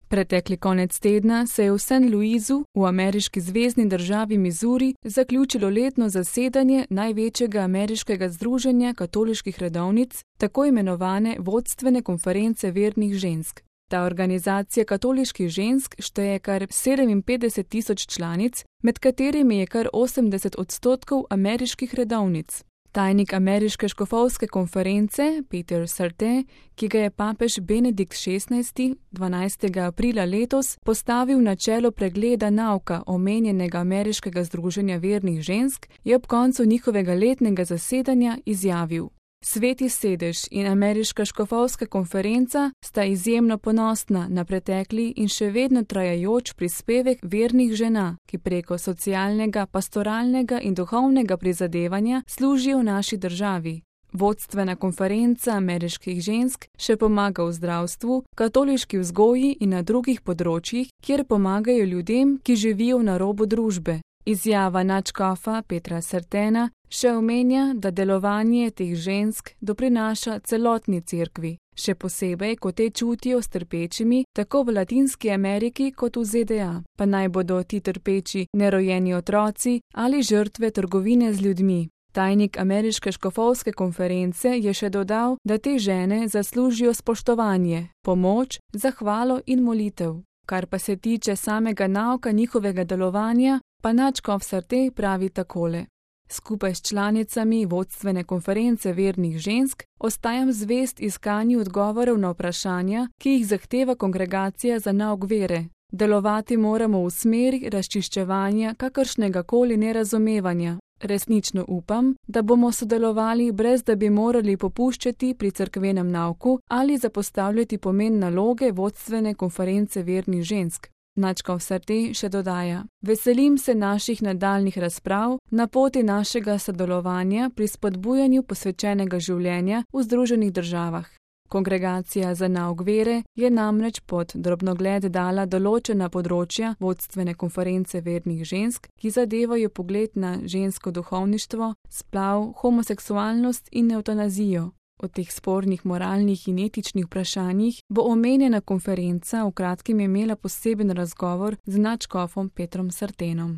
Pretekli konec tedna se je v St. Louisu, v ameriški zvezni državi Missouri, zaključilo letno zasedanje največjega ameriškega združenja katoliških redovnic, tako imenovane vodstvene konference vernih žensk. Ta organizacija katoliških žensk šteje kar 57.000 članic, med katerimi je kar 80% ameriških redovnic. Tajnik ameriške škofovske konference Peter Sartain, ki ga je papež Benedikt XVI. 12. aprila letos postavil na čelo pregleda nauka omenjenega ameriškega združenja vernih žensk, je ob koncu njihovega letnega zasedanja izjavil: Sveti sedež in ameriška škofovska konferenca sta izjemno ponosna na pretekli in še vedno trajajoč prispevek vernih žena, ki preko socialnega, pastoralnega in duhovnega prizadevanja služijo naši državi. Vodstvena konferenca ameriških žensk še pomaga v zdravstvu, katoliški vzgoji in na drugih področjih, kjer pomagajo ljudem, ki živijo na robu družbe. Izjava nadškofa Petra Sartaina še omenja, da delovanje teh žensk doprinaša celotni cerkvi, še posebej, ko te čutijo s trpečimi tako v Latinski Ameriki kot v ZDA, pa naj bodo ti trpeči nerojeni otroci ali žrtve trgovine z ljudmi. Tajnik ameriške škofovske konference je še dodal, da te žene zaslužijo spoštovanje, pomoč, zahvalo in molitev. Kar pa se tiče samega nauka njihovega delovanja, pa nadškof Sartain pravi takole: Skupaj s članicami vodstvene konference vernih žensk ostajam zvest iskanju odgovorov na vprašanja, ki jih zahteva kongregacija za nauk vere. Delovati moramo v smeri razčiščevanja kakršnega koli nerazumevanja. Resnično upam, da bomo sodelovali, brez da bi morali popuščati pri cerkvenem nauku ali zapostavljati pomen naloge vodstvene konference vernih žensk. Nadškof Sartain še dodaja: Veselim se naših nadaljnjih razprav na poti našega sodelovanja pri spodbujanju posvečenega življenja v Združenih državah. Kongregacija za nauk vere je namreč pod drobnogled dala določena področja vodstvene konference vernih žensk, ki zadevajo pogled na žensko duhovništvo, splav, homoseksualnost in evtanazijo. O teh spornih moralnih in etičnih vprašanjih bo omenjena konferenca v kratkem imela poseben razgovor z nadškofom Petrom Sartainom.